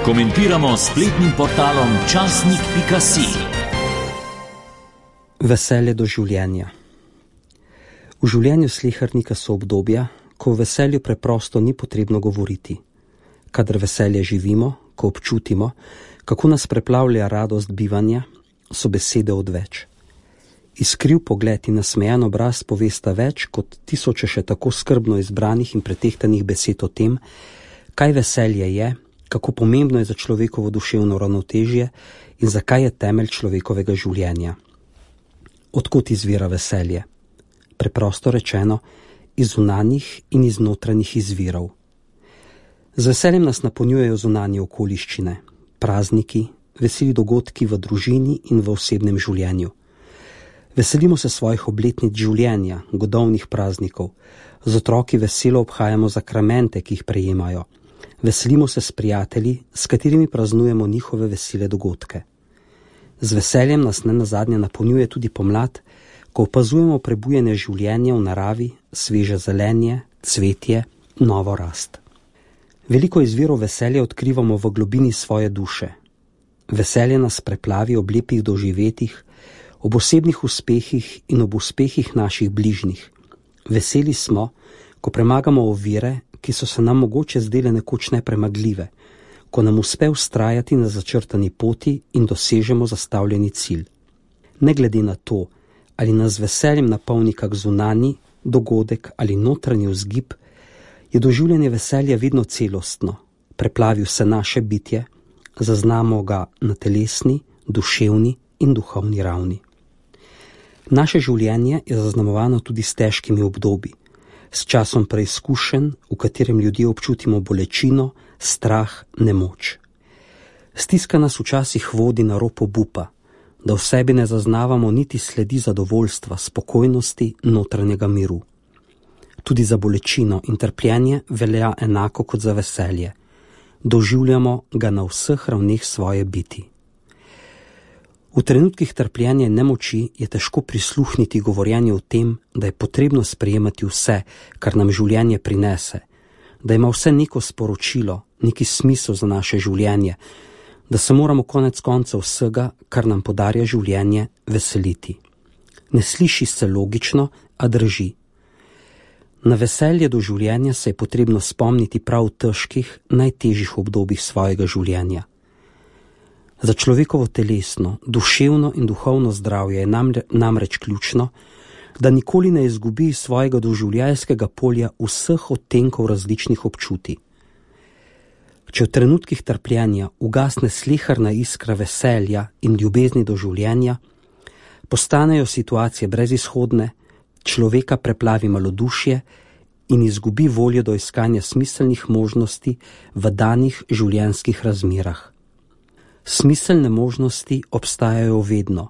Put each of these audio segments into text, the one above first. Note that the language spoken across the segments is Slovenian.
Komentiramo spletnim portalom časnik.si. Veselje do življenja. V življenju slehernika so obdobja, ko o veselju preprosto ni potrebno govoriti. Kadar veselje živimo, ko občutimo, kako nas preplavlja radost bivanja, so besede odveč. Iskriv pogled in nasmejan obraz povesta več kot tisoče še tako skrbno izbranih in pretehtanih besed o tem, kaj veselje je, kako pomembno je za človekovo duševno ravnotežje in zakaj je temelj človekovega življenja. Odkot izvira veselje? Preprosto rečeno, iz zunanjih in iz notranjih izvirov. Z veseljem nas napolnjujejo zunanje okoliščine, prazniki, veseli dogodki v družini in v osebnem življenju. Veselimo se svojih obletnic življenja, godovnih praznikov, z otroki veselo obhajamo zakramente, ki jih prejemajo. Veselimo se s prijatelji, s katerimi praznujemo njihove vesele dogodke. Z veseljem nas nenazadnje napolnjuje tudi pomlad, ko opazujemo prebujanje življenja v naravi, sveže zelenje, cvetje, novo rast. Veliko izvirov veselja odkrivamo v globini svoje duše. Veselje nas preplavi ob lepih doživetjih, ob osebnih uspehih in ob uspehih naših bližnjih. Veseli smo, ko premagamo ovire, ki so se nam mogoče zdele nekoč nepremagljive, ko nam uspe vztrajati na začrtani poti in dosežemo zastavljeni cilj. Ne glede na to, ali nas z veseljem napolni kak zunanji dogodek ali notranji vzgib, je doživljanje veselja vedno celostno, preplavi vse naše bitje, zaznamo ga na telesni, duševni in duhovni ravni. Naše življenje je zaznamovano tudi s težkimi obdobji, s časom preizkušenj, v katerem ljudje občutimo bolečino, strah, nemoč. Stiska nas včasih vodi na rob obupa, da v sebi ne zaznavamo niti sledi zadovoljstva, spokojnosti, notranjega miru. Tudi za bolečino in trpljenje velja enako kot za veselje. Doživljamo ga na vseh ravneh svoje biti. V trenutkih trpljenja in nemoči je težko prisluhniti govorjenju o tem, da je potrebno sprejemati vse, kar nam življenje prinese, da ima vse neko sporočilo, neki smisel za naše življenje, da se moramo konec koncev vsega, kar nam podarja življenje, veseliti. Ne sliši se logično, a drži. Na veselje do življenja se je potrebno spomniti prav v težkih, najtežjih obdobjih svojega življenja. Za človekovo telesno, duševno in duhovno zdravje je namreč ključno, da nikoli ne izgubi svojega doživljajskega polja vseh odtenkov različnih občutij. Če v trenutkih trpljenja ugasne sleherna iskra veselja in ljubezni do življenja, postanejo situacije brezizhodne, človeka preplavi malodušje in izgubi voljo do iskanja smiselnih možnosti v danih življenjskih razmerah. Smiselne možnosti obstajajo vedno,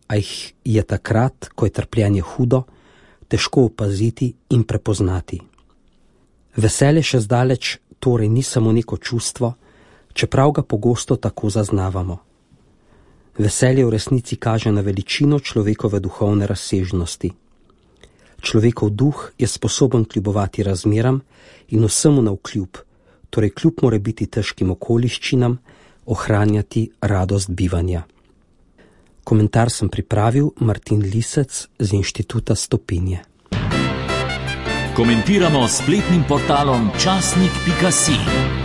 a jih je takrat, ko je trpljenje hudo, težko opaziti in prepoznati. Veselje še zdaleč torej ni samo neko čustvo, čeprav ga pogosto tako zaznavamo. Veselje v resnici kaže na veličino človekove duhovne razsežnosti. Človekov duh je sposoben kljubovati razmeram in vsemu navkljub, torej kljub morebiti težkim okoliščinam, ohranjati radost bivanja. Komentar sem pripravil Martin Lisec z Inštituta Stopinje. Komentiramo spletnim portalom časnik.si.